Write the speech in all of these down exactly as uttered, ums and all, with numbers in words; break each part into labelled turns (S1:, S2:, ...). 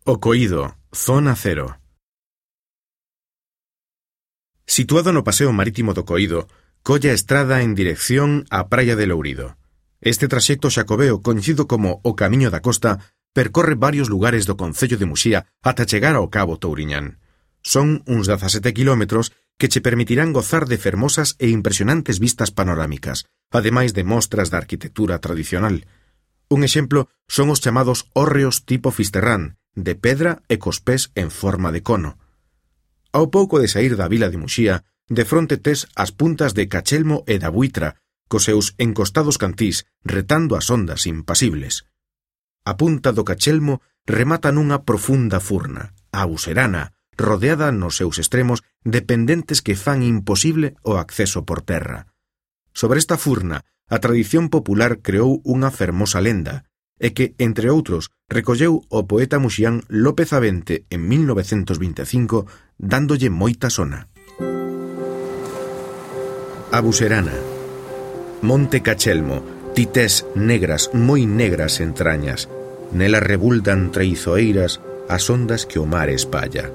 S1: O Coído, zona cero. Situado no paseo marítimo do Coído, colle a estrada en dirección á praia de Lourido. Este traxecto xacobeo, coñecido como o Camiño da Costa, percorre varios lugares do concello de Muxía ata chegar ao Cabo Touriñán. Son uns dezasete quilómetros que che permitirán gozar de fermosas e impresionantes vistas panorámicas, ademais de mostras da arquitectura tradicional. Un exemplo son os chamados hórreos tipo Fisterrán, de pedra e cos pés en forma de cono. Ao pouco de saír da vila de Muxía, de fronte tes as puntas de Cachelmo e da Buitra, cos seus encostados cantís retando as ondas impasibles. A punta do Cachelmo remata nunha profunda furna, a Buserana, rodeada nos seus extremos de pendentes que fan imposible o acceso por terra. Sobre esta furna, a tradición popular creou unha fermosa lenda, e que, entre outros, recolleu o poeta muxián López Avente en mil novecentos vinte e cinco, dándolle moita sona. A Buserana. Monte Cachelmo, tités negras, moi negras entrañas, nela rebuldan traizoeiras as ondas que o mar espalla.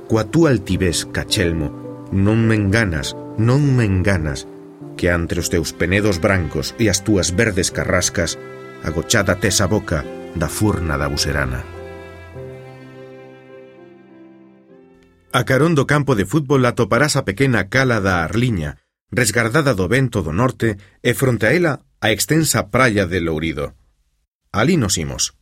S1: Coa túa altivez, Cachelmo, non me enganas, non me enganas, que entre os teus penedos brancos e as túas verdes carrascas agochada tes a boca da furna da Buserana. A carón do campo de fútbol atoparás a pequena cala da Arliña, resgardada do vento do norte, e fronte a ela a extensa praia de Lourido. Alí nos imos.